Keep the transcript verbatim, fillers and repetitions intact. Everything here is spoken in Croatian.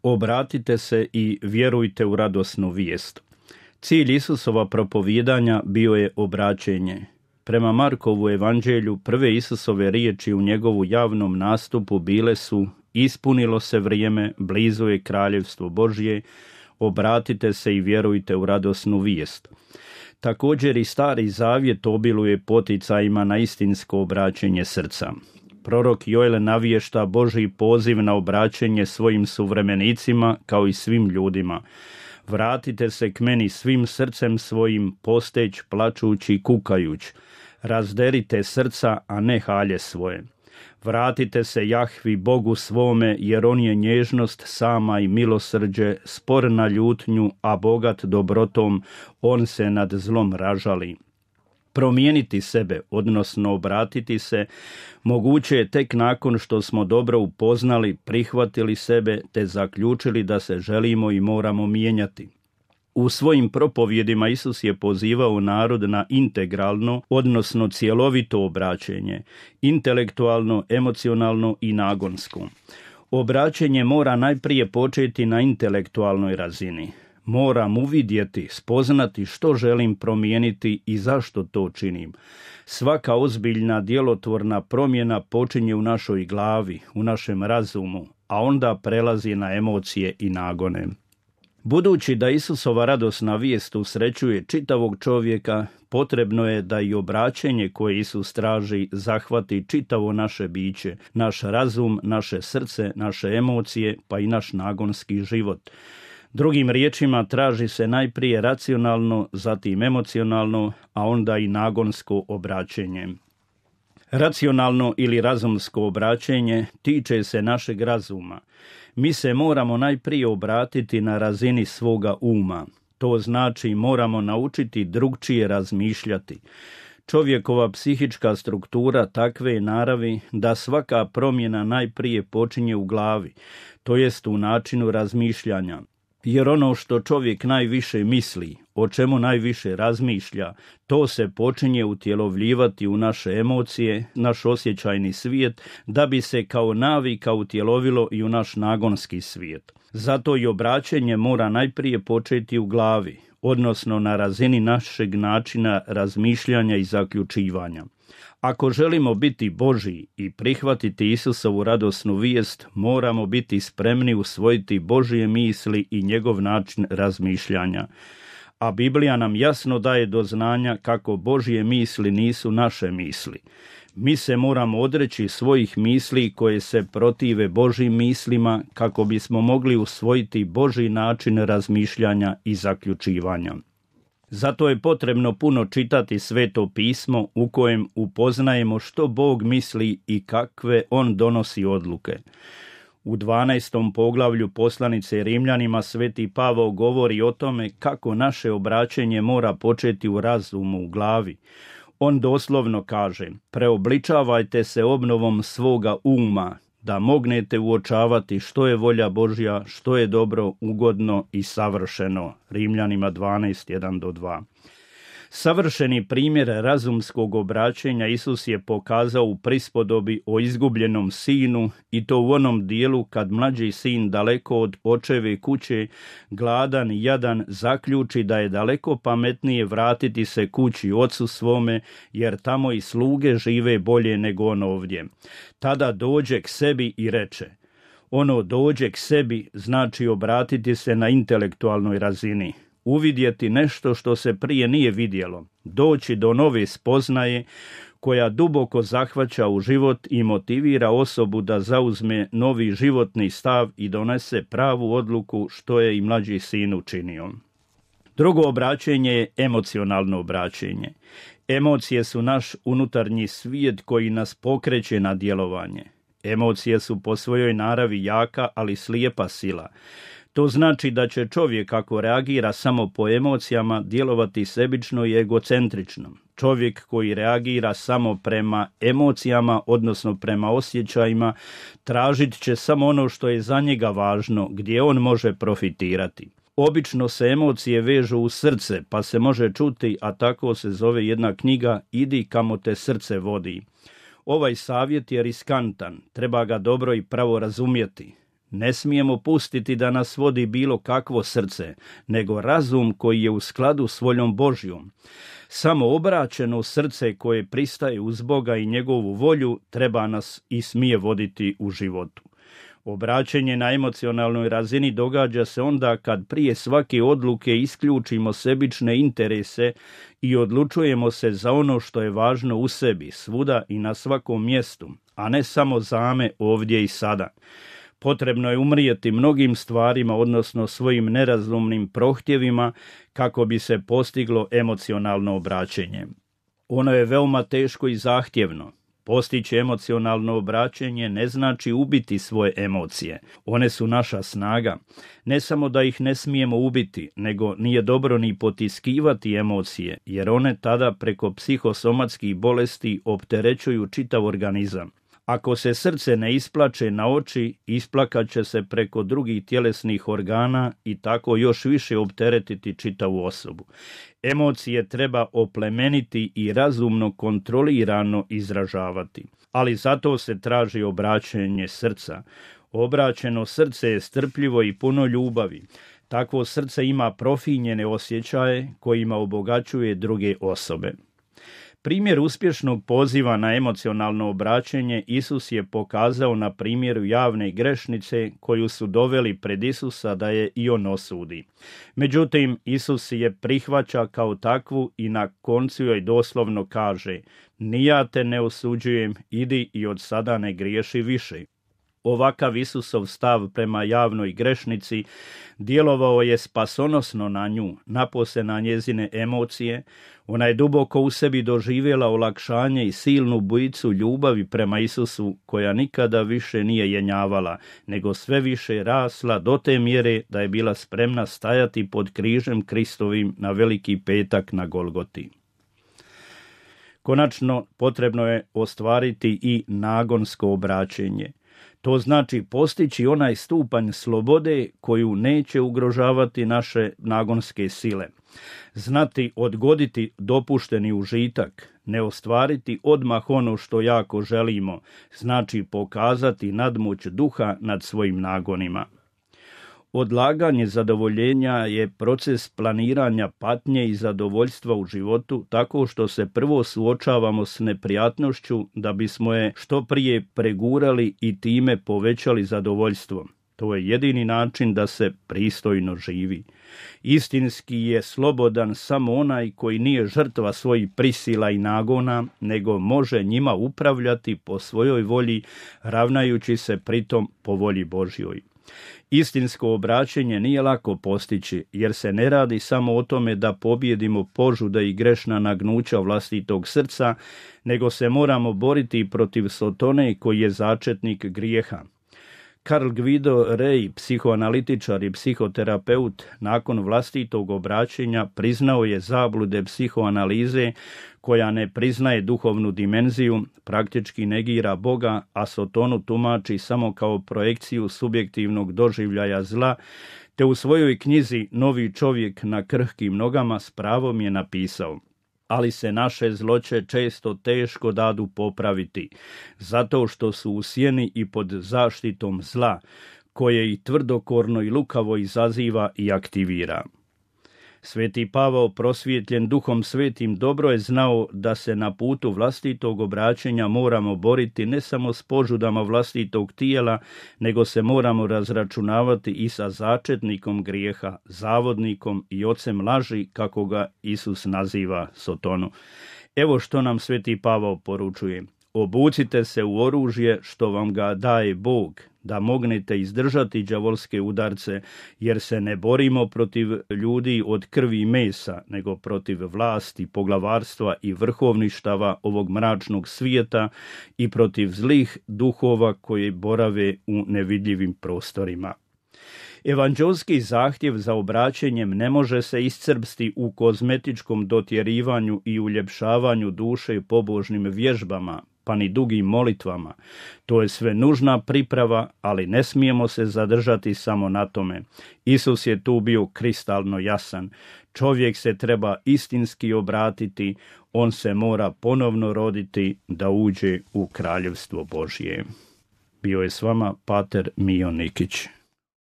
Obratite se i vjerujte u radosnu vijest. Cilj Isusova propovijedanja bio je obraćenje. Prema Markovu evanđelju, prve Isusove riječi u njegovu javnom nastupu bile su: ispunilo se vrijeme, blizu je kraljevstvo Božje, obratite se i vjerujte u radosnu vijest. Također i Stari Zavjet obiluje poticajima na istinsko obraćenje srca. Prorok Joel navješta Božji poziv na obraćenje svojim suvremenicima kao i svim ljudima. Vratite se k meni svim srcem svojim, posteć, plačući i kukajuć. Razderite srca, a ne halje svoje. Vratite se Jahvi Bogu svome, jer on je nježnost sama i milosrđe, spor na ljutnju, a bogat dobrotom, on se nad zlom ražali. Promijeniti sebe, odnosno obratiti se, moguće je tek nakon što smo dobro upoznali, prihvatili sebe te zaključili da se želimo i moramo mijenjati. U svojim propovjedima Isus je pozivao narod na integralno, odnosno cjelovito obraćenje, intelektualno, emocionalno i nagonsko. Obraćenje mora najprije početi na intelektualnoj razini. Moram uvidjeti, spoznati što želim promijeniti i zašto to činim. Svaka ozbiljna djelotvorna promjena počinje u našoj glavi, u našem razumu, a onda prelazi na emocije i nagone. Budući da Isusova radosna vijest usrećuje čitavog čovjeka, potrebno je da i obraćenje koje Isus traži zahvati čitavo naše biće, naš razum, naše srce, naše emocije, pa i naš nagonski život. Drugim riječima, traži se najprije racionalno, zatim emocionalno, a onda i nagonsko obraćenje. Racionalno ili razumsko obraćenje tiče se našeg razuma. Mi se moramo najprije obratiti na razini svoga uma. To znači moramo naučiti drugčije razmišljati. Čovjekova psihička struktura takve je naravi da svaka promjena najprije počinje u glavi, to jest u načinu razmišljanja. Jer ono što čovjek najviše misli, o čemu najviše razmišlja, to se počinje utjelovljivati u naše emocije, naš osjećajni svijet, da bi se kao navika utjelovilo i u naš nagonski svijet. Zato i obraćenje mora najprije početi u glavi, odnosno na razini našeg načina razmišljanja i zaključivanja. Ako želimo biti Božji i prihvatiti Isusovu radosnu vijest, moramo biti spremni usvojiti Božje misli i njegov način razmišljanja. A Biblija nam jasno daje do znanja kako Božje misli nisu naše misli. Mi se moramo odreći svojih misli koje se protive Božjim mislima kako bismo mogli usvojiti Božji način razmišljanja i zaključivanja. Zato je potrebno puno čitati Sveto pismo u kojem upoznajemo što Bog misli i kakve on donosi odluke. U dvanaestom poglavlju poslanice Rimljanima Sveti Pavao govori o tome kako naše obraćenje mora početi u razumu, u glavi. On doslovno kaže: preobličavajte se obnovom svoga uma, da mognete uočavati što je volja Božja, što je dobro, ugodno i savršeno. Rimljanima dvanaest, jedan do dva. Savršeni primjer razumskog obraćenja Isus je pokazao u prispodobi o izgubljenom sinu, i to u onom dijelu kad mlađi sin daleko od očeve kuće, gladan i jadan, zaključi da je daleko pametnije vratiti se kući ocu svome, jer tamo i sluge žive bolje nego on ovdje. Tada dođe k sebi i reče. Ono dođe k sebi znači obratiti se na intelektualnoj razini. Uvidjeti nešto što se prije nije vidjelo, doći do nove spoznaje koja duboko zahvaća u život i motivira osobu da zauzme novi životni stav i donese pravu odluku, što je i mlađi sin učinio. Drugo obraćenje je emocionalno obraćenje. Emocije su naš unutarnji svijet koji nas pokreće na djelovanje. Emocije su po svojoj naravi jaka, ali slijepa sila. To znači da će čovjek, ako reagira samo po emocijama, djelovati sebično i egocentrično. Čovjek koji reagira samo prema emocijama, odnosno prema osjećajima, tražit će samo ono što je za njega važno, gdje on može profitirati. Obično se emocije vežu u srce, pa se može čuti, a tako se zove jedna knjiga, Idi kamo te srce vodi. Ovaj savjet je riskantan, treba ga dobro i pravo razumjeti. Ne smijemo pustiti da nas vodi bilo kakvo srce, nego razum koji je u skladu s voljom Božjom. Samo obraćeno srce koje pristaje uz Boga i njegovu volju treba nas i smije voditi u životu. Obraćenje na emocionalnoj razini događa se onda kad prije svake odluke isključimo sebične interese i odlučujemo se za ono što je važno u sebi, svuda i na svakom mjestu, a ne samo zame ovdje i sada. Potrebno je umrijeti mnogim stvarima, odnosno svojim nerazumnim prohtjevima, kako bi se postiglo emocionalno obraćenje. Ono je veoma teško i zahtjevno. Postići emocionalno obraćenje ne znači ubiti svoje emocije. One su naša snaga. Ne samo da ih ne smijemo ubiti, nego nije dobro ni potiskivati emocije, jer one tada preko psihosomatskih bolesti opterećuju čitav organizam. Ako se srce ne isplače na oči, isplakat će se preko drugih tjelesnih organa i tako još više opteretiti čitavu osobu. Emocije treba oplemeniti i razumno kontrolirano izražavati, ali zato se traži obraćenje srca. Obraćeno srce je strpljivo i puno ljubavi. Takvo srce ima profinjene osjećaje kojima obogaćuje druge osobe. Primjer uspješnog poziva na emocionalno obraćenje Isus je pokazao na primjeru javne grešnice koju su doveli pred Isusa da je i on osudi. Međutim, Isus je prihvaća kao takvu i na koncu joj doslovno kaže: "Ni ja te ne osuđujem, idi i od sada ne griješi više." Ovakav Isusov stav prema javnoj grešnici djelovao je spasonosno na nju, napose na njezine emocije. Ona je duboko u sebi doživjela olakšanje i silnu bujicu ljubavi prema Isusu, koja nikada više nije jenjavala, nego sve više rasla do te mjere da je bila spremna stajati pod križem Kristovim na Veliki petak na Golgoti. Konačno, potrebno je ostvariti i nagonsko obraćenje. To znači postići onaj stupanj slobode koju neće ugrožavati naše nagonske sile. Znati odgoditi dopušteni užitak, ne ostvariti odmah ono što jako želimo, znači pokazati nadmoć duha nad svojim nagonima. Odlaganje zadovoljenja je proces planiranja patnje i zadovoljstva u životu, tako što se prvo suočavamo s neprijatnošću da bismo je što prije pregurali i time povećali zadovoljstvo. To je jedini način da se pristojno živi. Istinski je slobodan samo onaj koji nije žrtva svojih prisila i nagona, nego može njima upravljati po svojoj volji, ravnajući se pritom po volji Božjoj. Istinsko obraćenje nije lako postići, jer se ne radi samo o tome da pobjedimo požude i grešna nagnuća vlastitog srca, nego se moramo boriti protiv Sotone koji je začetnik grijeha. Carl Guido Rey, psihoanalitičar i psihoterapeut, nakon vlastitog obraćenja priznao je zablude psihoanalize koja ne priznaje duhovnu dimenziju, praktički negira Boga, a Sotonu tumači samo kao projekciju subjektivnog doživljaja zla, te u svojoj knjizi Novi čovjek na krhkim nogama s pravom je napisao: ali se naše zloće često teško dadu popraviti, zato što su u sjeni i pod zaštitom zla, koje i tvrdokorno i lukavo izaziva i aktivira. Sveti Pavao, prosvjetljen Duhom Svetim, dobro je znao da se na putu vlastitog obraćenja moramo boriti ne samo s požudama vlastitog tijela, nego se moramo razračunavati i sa začetnikom grijeha, zavodnikom i ocem laži, kako ga Isus naziva, Sotonu. Evo što nam Sveti Pavao poručuje: obucite se u oružje što vam ga daje Bog, da mognete izdržati đavolske udarce, jer se ne borimo protiv ljudi od krvi i mesa, nego protiv vlasti, poglavarstva i vrhovništava ovog mračnog svijeta i protiv zlih duhova koji borave u nevidljivim prostorima. Evanđelski zahtjev za obraćenjem ne može se iscrpsti u kozmetičkom dotjerivanju i uljepšavanju duše pobožnim vježbama, pa ni dugim molitvama. To je sve nužna priprava, ali ne smijemo se zadržati samo na tome. Isus je tu bio kristalno jasan. Čovjek se treba istinski obratiti, on se mora ponovno roditi da uđe u kraljevstvo Božje. Bio je s vama pater Mijo Nikić.